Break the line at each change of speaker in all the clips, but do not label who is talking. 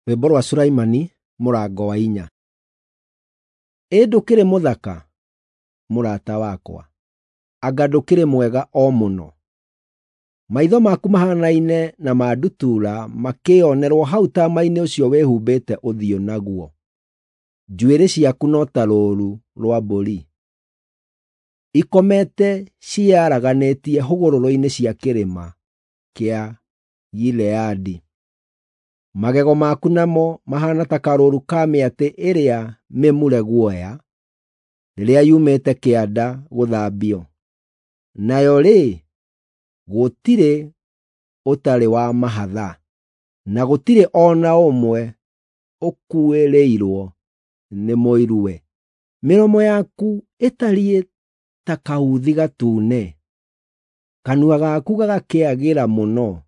Rwĩmbo rwa Sulaimani mũrango wa 4. Ĩ ndũkĩrĩ mũthaka, mũrata wakwa, anga ndũkĩrĩ mwega o mũno! Maitho maku mahanaine na ma ndutura makĩĩonerwo hau taama-inĩ ũcio wĩhumbĩte ũthiũ naguo. Njuĩrĩ ciaku no ta rũũru rwa mbũri, ikomete ciĩyaraganĩtie hũgũrũrũ-inĩ cia kĩrĩma kĩa Gileadi. Magego maku namo mahaana ta karũũru ka mĩatĩ ĩrĩa mĩmure guoya, rĩrĩa yumĩte kĩanda gũthambio. Nayo-rĩ, gũtirĩ ũtarĩ wa mahatha, na gũtirĩ o na ũmwe ũkuĩrĩirwo nĩ mũiruwe. Mĩromo yaku ĩtariĩ ta kauthi gatune, kanua gaku gagakĩagĩra mũno,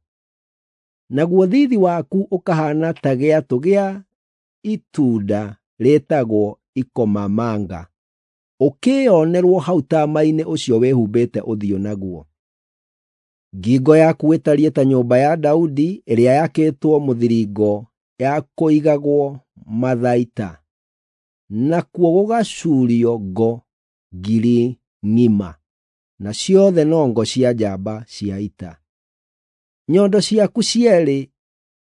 naguo thiithi waku ũkahaana ta gĩatũ gĩa itunda rĩĩtagwo ikomamanga, ũkĩĩonerwo hau taama-inĩ ũcio wĩhumbĩte ũthiũ naguo. Ngingo yaku ĩtariĩ ta nyũmba ya Daudi ĩrĩa yakĩtwo mũthiringo ya kũigagwo mathaita, nakuo gũgacuurio ngo 1,000 ng'ima, na ciothe no ngo cia njamba cia ita. Nyondo ciaku cierĩ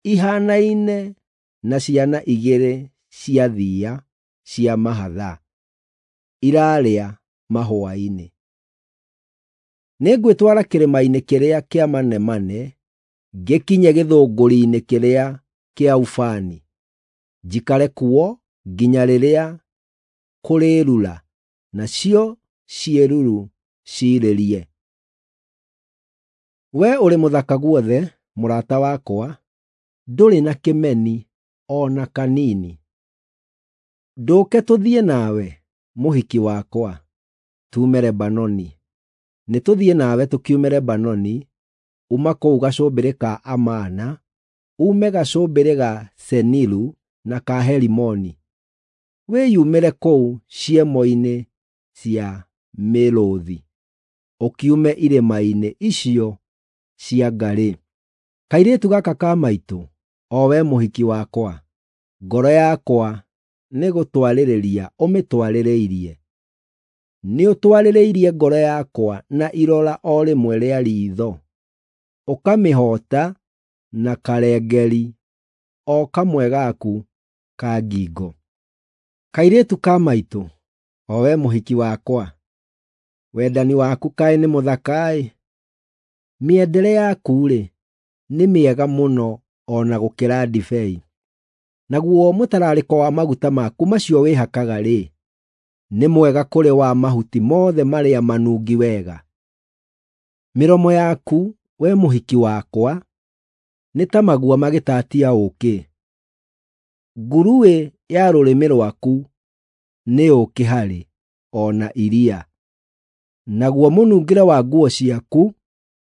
ihaanaine na ciana igĩrĩ cia thiiya cia mahatha iraarĩa mahũa-inĩ. Nĩngwĩtwara kĩrĩma-inĩ kĩrĩa kĩa manemane, ngĩkinye gĩthũngũri-inĩ kĩrĩa kĩa ubani, njikare kuo nginya rĩrĩa kũrĩĩrura, nacio ciĩruru ciirĩrie. Wee ũrĩ mũthaka guothe, mũrata wakwa, ndũrĩ na kĩmeni o na kanini. Ndũke tũthiĩ nawe, mũhiki wakwa, tuume Lebanoni. Nĩtũthiĩ nawe tũkiume Lebanoni, uma kũu gacũmbĩrĩ ka Amana, uume gacũmbĩrĩ ga Seniru na ka Herimoni, wĩyumĩre kũu ciemo-inĩ cia mĩrũũthi, ũkiume irĩma-inĩ icio cia ngarĩ. Kairĩtu gaka ka maitũ, o we mũhiki wakwa, ngoro yakwa nĩgũtwarĩrĩria ũmĩtwarĩrĩirie. Nĩũtwarĩrĩirie ngoro yakwa na irora o rĩmwe rĩa riitho, ũkamĩhoota na karengeri o kamwe gaku ka ngingo. Kairĩtu ka maitũ, o we mũhiki wakwa, wendani waku kaĩ nĩ mũthaka-ĩ! Mĩendere yaku-rĩ, nĩ mĩega mũno o na gũkĩra ndibei, naguo mũtararĩko wa maguta maku macio wĩhakaga-rĩ, nĩ mwega kũrĩ wa mahuti mothe marĩa manungi wega. Mĩromo yaku, we mũhiki wakwa, nĩ ta magua magĩtaatia ũũkĩ; nguruĩ ya rũrĩmĩ rwaku nĩ ũũkĩ harĩ, o na iria. Naguo mũnungĩre wa nguo ciaku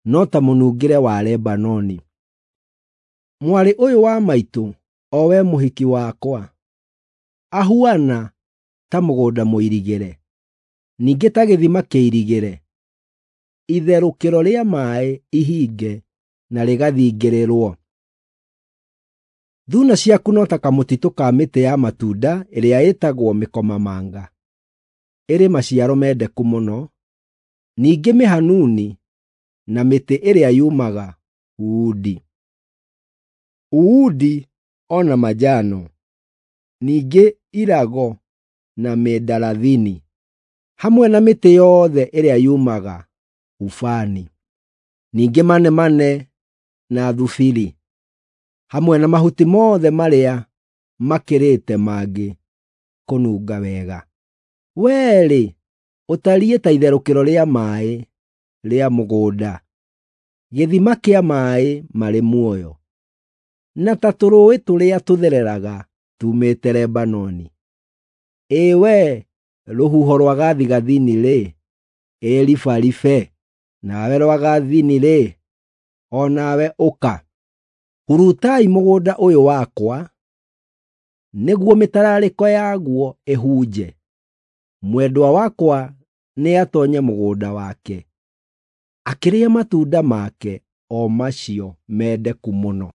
no ta mũnungĩre wa Lebanoni. Mwarĩ ũyũ wa maitũ, o we mũhiki wakwa, ahuana ta mũgũnda mũirigĩre, ningĩ ta gĩthima kĩirigĩre, itherũkĩro rĩa maaĩ ihinge na rĩgathingĩrĩrwo. Thuuna ciaku no ta kamũtitũ ka mĩtĩ ya matunda ĩrĩa ĩtagwo mĩkomamanga, ĩrĩ maciaro mendeku mũno, ningĩ mĩhanuni na mĩtĩ ĩrĩa yumaga uundi. Uundi o na manjano, ningĩ irago na mĩndarathini, hamwe na mĩtĩ yothe ĩrĩa yumaga ubani, ningĩ manemane na thubiri, hamwe na mahuti mothe marĩa makĩrĩte mangĩ kũnunga wega. Wee-rĩ, ũtariĩ ta itherũkĩro rĩa maaĩ rĩa mũgũnda, gĩthima kĩa maaĩ marĩ muoyo, na ta tũrũũĩ tũrĩa tũthereraga tuumĩte Lebanoni. Ĩ wee rũhuho rwa gathigathini-rĩ, ĩ ribaribe, nawe rwagathini-rĩ, o nawe ũka. Hurutai mũgũnda ũyũ wakwa, nĩguo mĩtararĩko yaguo ĩhunje. Mwendwa wakwa nĩatoonye mũgũnda wake, akĩrĩe matunda make o macio mendeku mũno.